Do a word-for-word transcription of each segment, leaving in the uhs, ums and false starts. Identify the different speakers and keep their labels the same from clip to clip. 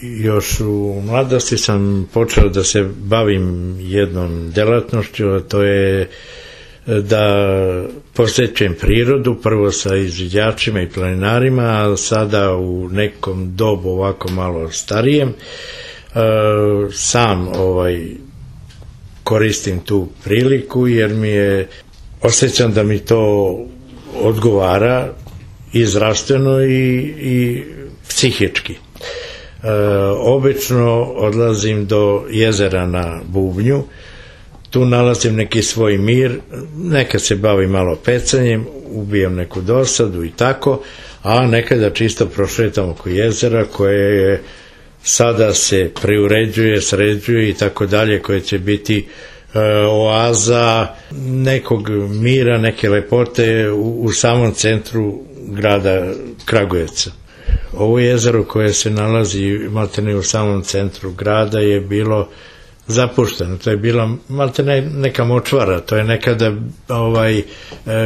Speaker 1: još u mladosti sam počeo da se bavim jednom delatnošću, a to je da posjećujem prirodu, prvo sa izviđačima i planinarima, a sada u nekom dobu ovako malo starijem, sam ovaj koristim tu priliku jer mi je, osjećam da mi to odgovara i zdravstveno i, i psihički. E, obično odlazim do jezera na Bubnju, tu nalazim neki svoj mir, nekad se bavim malo pecanjem, ubijam neku dosadu i tako, a nekada čisto prošetam oko jezera koje je sada se preuređuje, sređuje i tako dalje, koje će biti e, oaza nekog mira, neke lepote u, u samom centru grada Kragujevca. Ovo jezero koje se nalazi maltene u samom centru grada je bilo zapušteno, to je bila maltene neka močvara, to je nekada ovaj,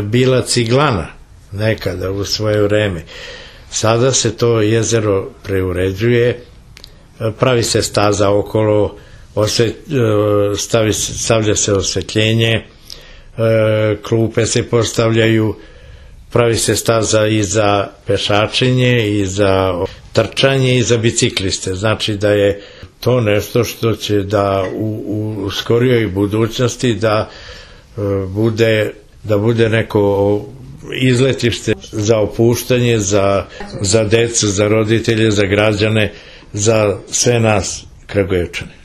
Speaker 1: bila ciglana, nekada u svoje vreme. Sada se to jezero preuređuje, pravi se staza okolo, osvet, stavi, stavlja se osvetljenje, klupe se postavljaju, pravi se staza i za pešačenje, i za trčanje, i za bicikliste. Znači da je to nešto što će da u, u skorijoj budućnosti da bude, da bude neko izletište za opuštanje, za, za decu, za roditelje, za građane, za sve nas Kragujevčane.